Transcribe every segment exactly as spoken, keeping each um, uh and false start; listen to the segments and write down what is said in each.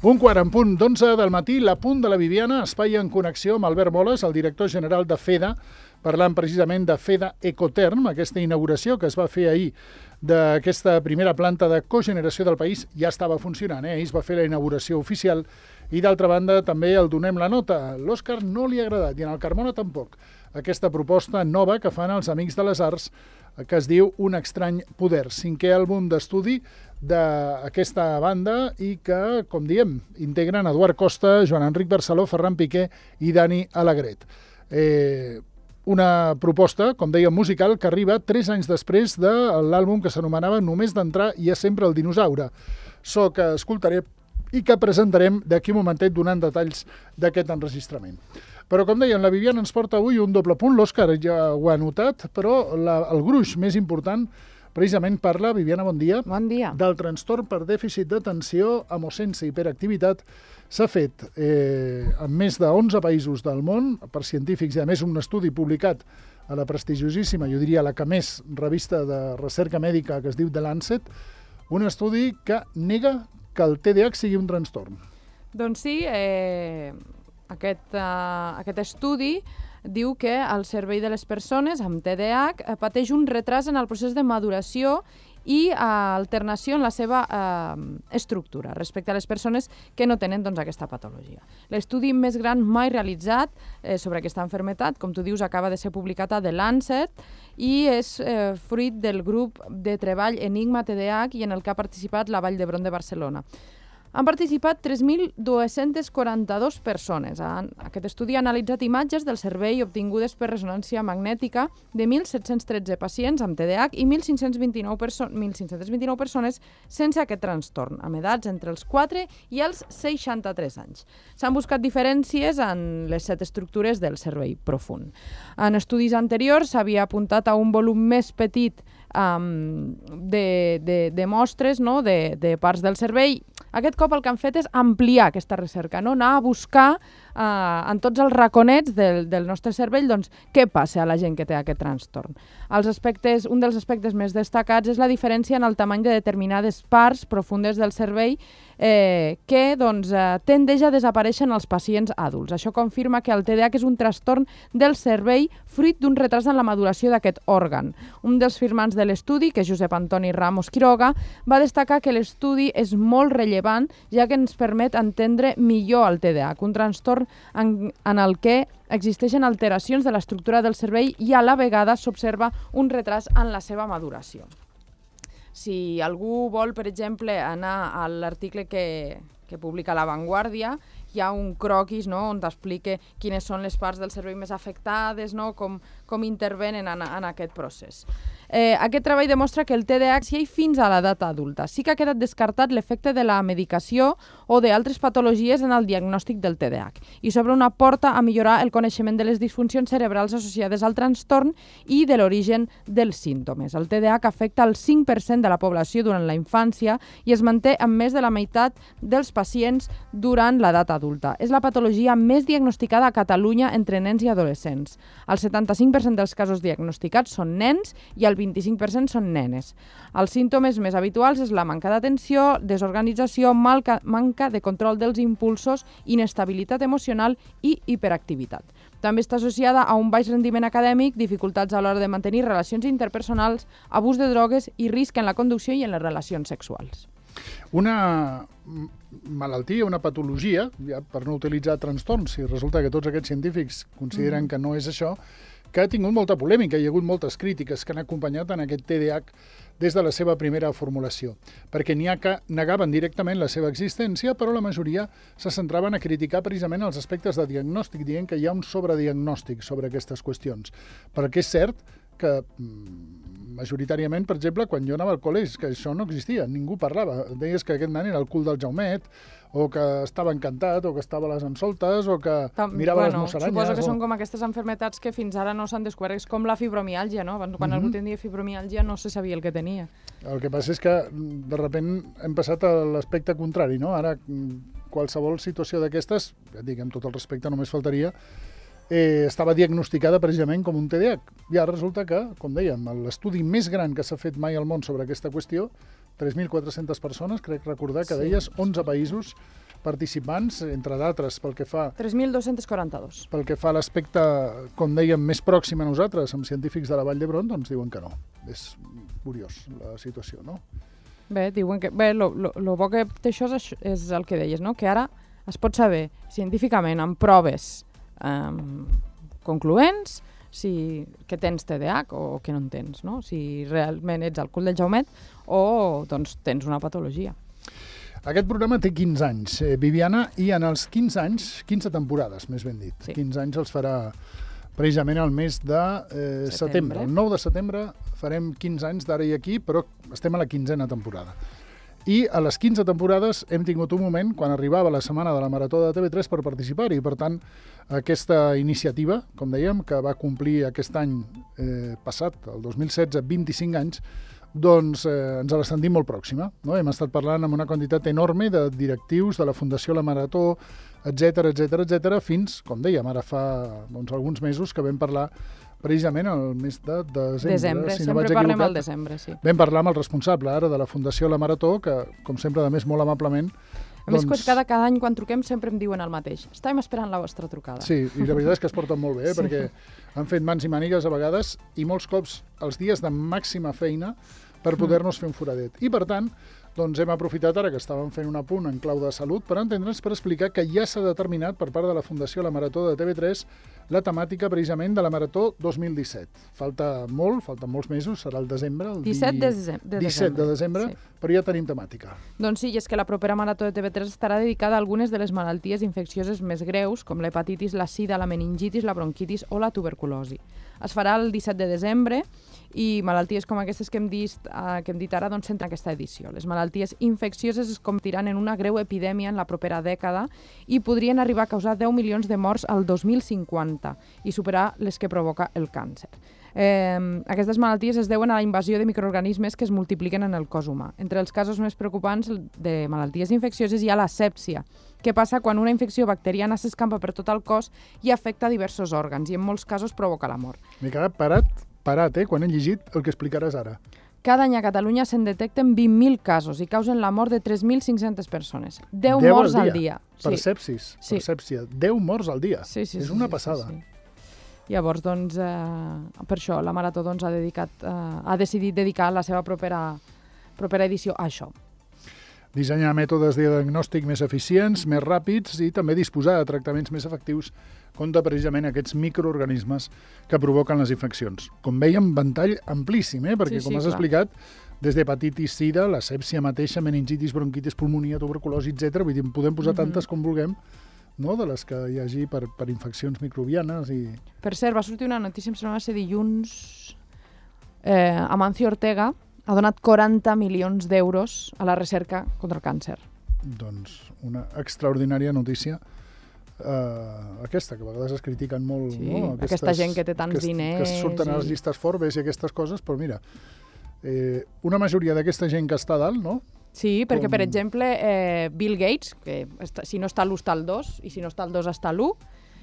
Un quart en punt d'onze del matí, la punt de la Bibiana, espai en connexió amb Albert Moles, el director general de FEDA, parlant precisament de FEDA Ecoterm, aquesta inauguració que es va fer ahir d'aquesta primera planta de cogeneració del país, ja estava funcionant, eh? Ahir es va fer la inauguració oficial i d'altra banda també el donem la nota. L'Òscar no li ha agradat i en el Carmona tampoc. Aquesta proposta nova que fan els Amics de les Arts que es diu Un estrany poder, cinquè àlbum d'estudi d'aquesta banda i que, com diem, integren Eduard Costa, Joan Enric Barceló, Ferran Piqué i Dani Alegret. Eh, una proposta, com dèiem, musical, que arriba tres anys després de l'àlbum que s'anomenava Només d'entrar hi ha sempre el dinosaure. So que escoltaré i que presentarem d'aquí un momentet donant detalls d'aquest enregistrament. Però, com dèiem, la Bibiana ens porta avui un doble punt. L'Òscar ja ho ha notat, però la, el gruix més important precisament parla, Bibiana, bon dia, bon dia, del trastorn per dèficit d'atenció amb o sense hiperactivitat. S'ha fet eh, en més de onze països del món, per científics, i a més un estudi publicat a la prestigiosíssima, jo diria la que més revista de recerca mèdica que es diu The Lancet, un estudi que nega que el T D A H sigui un trastorn. Doncs sí, eh, aquest, uh, aquest estudi diu que el cervell de les persones amb T D A H pateix un retras en el procés de maduració i uh, alternació en la seva uh, estructura respecte a les persones que no tenen doncs, aquesta patologia. L'estudi més gran mai realitzat eh, sobre aquesta malaltia, com tu dius, acaba de ser publicat a The Lancet i és eh, fruit del grup de treball Enigma T D A H i en el que ha participat la Vall d'Hebron de Barcelona. Han participat tres mil dos-cents quaranta-dues persones. Aquest estudi ha analitzat imatges del cervell obtingudes per ressonància magnètica de mil set-cents tretze pacients amb T D A H i mil cinc-cents vint-i-nou perso- mil cinc-cents vint-i-nou persones sense aquest trastorn, amb edats entre els quatre i els seixanta-tres anys. S'han buscat diferències en les set estructures del cervell profund. En estudis anteriors s'havia apuntat a un volum més petit um, de, de, de mostres, no? de, de parts del cervell. Aquest cop el que han fet és ampliar aquesta recerca, no? Anar a buscar eh, en tots els raconets del, del nostre cervell doncs, què passa a la gent que té aquest trastorn. Els aspectes, un dels aspectes més destacats és la diferència en el tamany de determinades parts profundes del cervell eh, que doncs, eh, tendeix a desaparèixer en els pacients adults. Això confirma que el T D A H és un trastorn del cervell fruit d'un retras en la maduració d'aquest òrgan. Un dels firmants de l'estudi, que és Josep Antoni Ramos Quiroga, va destacar que l'estudi és molt rellevant ja que ens permet entendre millor el T D A H, un trastorn en, en el que existeixen alteracions de l'estructura del cervell i a la vegada s'observa un retras en la seva maduració. Si algú vol, per exemple, anar a l'article que, que publica La Vanguardia, hi ha un croquis, no?, on t'explica quines són les parts del cervell més afectades, no?, com, com intervenen en, en aquest procés. Eh, aquest treball demostra que el T D A H hi ha fins a l'edat adulta. Sí que ha quedat descartat l'efecte de la medicació o d'altres patologies en el diagnòstic del T D A H i s'obre una porta a millorar el coneixement de les disfuncions cerebrals associades al trastorn i de l'origen dels símptomes. El T D A H afecta el cinc per cent de la població durant la infància i es manté en més de la meitat dels pacients durant l'edat adulta. És la patologia més diagnosticada a Catalunya entre nens i adolescents. El setanta-cinc per cent dels casos diagnosticats són nens i el vint-i-cinc per cent són nenes. Els símptomes més habituals és la manca d'atenció, desorganització, manca, manca de control dels impulsos, inestabilitat emocional i hiperactivitat. També està associada a un baix rendiment acadèmic, dificultats a l'hora de mantenir relacions interpersonals, abús de drogues i risc en la conducció i en les relacions sexuals. Una malaltia, una patologia, ja per no utilitzar trastorns, si resulta que tots aquests científics consideren mm. que no és això, que ha tingut molta polèmica, hi ha hagut moltes crítiques que han acompanyat en aquest T D A H des de la seva primera formulació, perquè n'hi ha que negaven directament la seva existència, però la majoria se centraven a criticar precisament els aspectes de diagnòstic, dient que hi ha un sobrediagnòstic sobre aquestes qüestions. Perquè és cert que majoritàriament, per exemple, quan jo anava al col·legi, que això no existia, ningú parlava. Deies que aquest nen era el cul del Jaumet, o que estava encantat, o que estava a les ensoltes, o que Tam, mirava bueno, les musaranyes. Suposo que o... són com aquestes malalties que fins ara no s'han descobert. És com la fibromiàlgia, no? Quan mm-hmm. algú tenia fibromiàlgia no se sabia el que tenia. El que passa és que, de sobte, hem passat a l'aspecte contrari, no? Ara, qualsevol situació d'aquestes, ja dic, amb tot el respecte, només faltaria, eh, estava diagnosticada precisament com un T D A H. I ara resulta que, com dèiem, l'estudi més gran que s'ha fet mai al món sobre aquesta qüestió, tres mil quatre-centes persones, crec recordar que deies, onze països, participants, entre d'altres, pel que fa... tres mil dos-cents quaranta-dos. Pel que fa a l'aspecte, com dèiem, més pròxim a nosaltres, amb científics de la Vall d'Hebron, doncs diuen que no. És curiós la situació, no? Bé, diuen que... Bé, lo, lo, lo bo que té això és, és el que deies, no? Que ara es pot saber científicament, amb proves um, concloents, si que tens T D A H o que no en tens, no? Si realment ets al cul del Jaumet o doncs, tens una patologia. Aquest programa té quinze anys, eh, Viviana, i en els quinze anys, quinze temporades, més ben dit. Sí. quinze anys els farà precisament el mes de eh, setembre. setembre. El nou de setembre farem quinze anys d'ara i aquí, però estem a la quinzena temporada. I a les quinze temporades hem tingut un moment, quan arribava la setmana de la Marató de T V tres, per participar-hi. Per tant, aquesta iniciativa, com dèiem, que va complir aquest any eh, passat, el dos mil setze, vint-i-cinc anys, doncs eh, ens la sentim molt pròxima. No? Hem estat parlant amb una quantitat enorme de directius de la Fundació La Marató, etcètera, etcètera, etcètera, fins, com dèiem, ara fa doncs, alguns mesos que vam parlar precisament el mes de desembre. Desembre, si sempre no parlem al desembre, sí. Vam parlar amb el responsable ara de la Fundació La Marató, que, com sempre, de més molt amablement... A més, doncs... cada, cada any quan truquem sempre em diuen el mateix. Estàvem esperant la vostra trucada. Sí, i la veritat és que es porten molt bé, eh? Sí. Perquè han fet mans i mànigues a vegades i molts cops els dies de màxima feina per poder-nos fer un foradet. I, per tant, doncs hem aprofitat ara que estàvem fent un apunt en clau de salut per entendre'ns, per explicar que ja s'ha determinat per part de la Fundació La Marató de T V tres la temàtica precisament de la Marató dos mil disset. Falta molt, falten molts mesos, serà el desembre, el disset de desembre. disset de desembre, sí. Però ja tenim temàtica. Doncs sí, i és que la propera Marató de T V tres estarà dedicada a algunes de les malalties infeccioses més greus, com l'hepatitis, la sida, la meningitis, la bronquitis o la tuberculosi. Es farà el disset de desembre i malalties com aquestes que hem dit, eh, que hem dit ara doncs centren aquesta edició. Les malalties infeccioses es convertiran en una greu epidèmia en la propera dècada i podrien arribar a causar deu milions de morts al dos mil cinquanta i superar les que provoca el càncer. Eh, aquestes malalties es deuen a la invasió de microorganismes que es multipliquen en el cos humà. Entre els casos més preocupants de malalties infeccioses hi ha la sèpsia, que passa quan una infecció bacteriana s'escampa per tot el cos i afecta diversos òrgans i en molts casos provoca la mort. M'he quedat parat, parat, eh, quan he llegit el que explicaràs ara. Cada any a Catalunya se'n detecten vint mil casos i causen la mort de tres mil cinc-centes persones. deu morts al dia. Per Sí. sepsis, Sí. per sèpsia. deu morts al dia. Sí, sí, És sí, una sí, passada. Sí, sí. Llavors, doncs, eh, per això la Marató doncs, ha, dedicat, eh, ha decidit dedicar la seva propera, propera edició a això. Dissenyar mètodes de diagnòstic més eficients, més ràpids i també disposar de tractaments més efectius contra precisament aquests microorganismes que provoquen les infeccions. Com veiem, ventall amplíssim, eh? Perquè, Sí, com sí, has clar. explicat, des d'hepatitis, sida, la sèpsia mateixa, meningitis, bronquitis, pulmonia, tuberculosi, etcètera. Vull dir, en podem posar Mhm. tantes com vulguem, no? De les que hi hagi per, per infeccions microbianes i... Per cert, va sortir una notícia, em sembla que va ser dilluns, eh, Amancio Ortega ha donat quaranta milions d'euros a la recerca contra el càncer. Doncs una extraordinària notícia. Uh, aquesta, que a vegades es critiquen molt, Sí, no? aquesta gent que té tants aquest, diners que surten a les i- llistes Forbes i aquestes coses, però mira, eh, una majoria d'aquesta gent que està a dalt, no? Sí, perquè, Com- per exemple, eh, Bill Gates, que està, si no està a l'u està al dos, i si no està al dos està a l'u,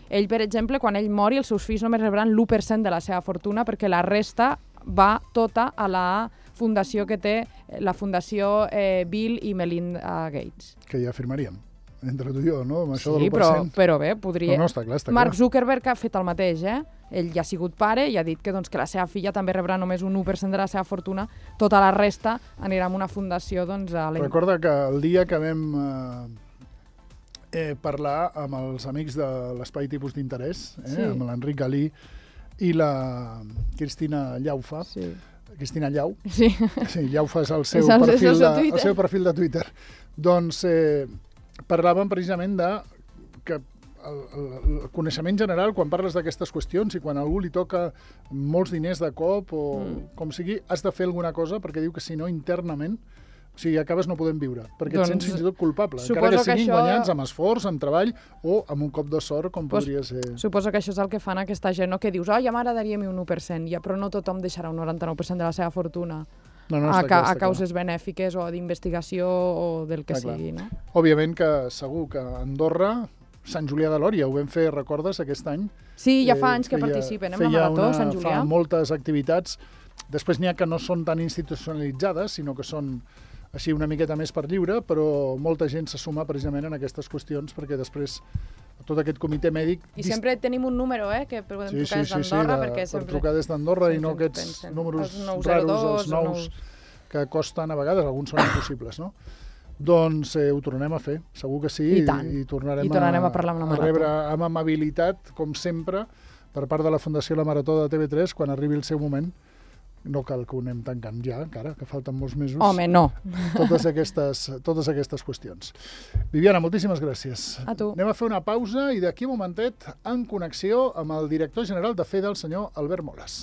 ell, per exemple, quan ell mori, els seus fills només rebran l'u per cent de la seva fortuna perquè la resta va tota a la fundació que té la Fundació eh, Bill i Melinda Gates. Que ja firmaríem, entre tu i jo, no? Amb això Sí, de l'u per però, cent. però bé, podria... No, no, està clar, està Mark clar. Zuckerberg ha fet el mateix, eh? Ell ja ha sigut pare i ha dit que, doncs, que la seva filla també rebrà només un u per cent de la seva fortuna, tota la resta anirà a una fundació, doncs, a la... Recorda que el dia que vam eh, eh, parlar amb els amics de l'Espai Tipus d'Interès, eh, Sí. amb l'Enric Galí i la Cristina Llaufa, Sí. Cristina Llau, Sí. sí, Llaufa és el seu, És el- és el perfil, seu de, Twitter. el seu perfil de Twitter, doncs eh, parlàvem precisament de que el, el, el coneixement general, quan parles d'aquestes qüestions i quan a algú li toca molts diners de cop o Mm. com sigui, has de fer alguna cosa perquè diu que si no internament, o sigui, acabes no podent viure, perquè Doncs, et sents fins i tot culpable, suposo encara que que siguin això- guanyats amb esforç, amb treball o amb un cop de sort com Pues, podria ser. Suposo que això és el que fan aquesta gent, no? Que dius, oh, ja m'agradaria a mi un u per cent, ja, però no tothom deixarà un noranta-nou per cent de la seva fortuna No, no, a, està ca clar, a està causes benèfiques o d'investigació o del que Està clar. sigui, no? clar. Òbviament que segur que a Andorra, Sant Julià de Lòria, ho vam fer, recordes, aquest any? Sí, ja fa Eh, anys que feia- participen, eh, en la feia Marató, una- Sant Julià. Fa moltes activitats. Després n'hi ha que no són tan institucionalitzades, sinó que són així una miqueta més per lliure, però molta gent se suma precisament en aquestes qüestions, perquè després tot aquest comitè mèdic... I sempre tenim un número, eh, que podem sí, trucar sí, des sí, d'Andorra, sí, perquè de, sempre... per trucar des d'Andorra i no sempre aquests pensen, números els nou raros, zero dos, els nous, que costen a vegades, alguns són impossibles, no? Doncs eh, ho tornarem a fer, segur que sí, I tant. i, i tornarem, I tornarem a, a, parlar amb la a Marató. rebre amb amabilitat, com sempre, per part de la Fundació La Marató de T V tres, quan arribi el seu moment. No cal que ho anem tancant ja, encara, que falten molts mesos. Home, no. Totes aquestes, totes aquestes qüestions. Viviana, moltíssimes gràcies. A tu. Anem a fer una pausa i d'aquí un momentet en connexió amb el director general de FEDA, el senyor Albert Moles.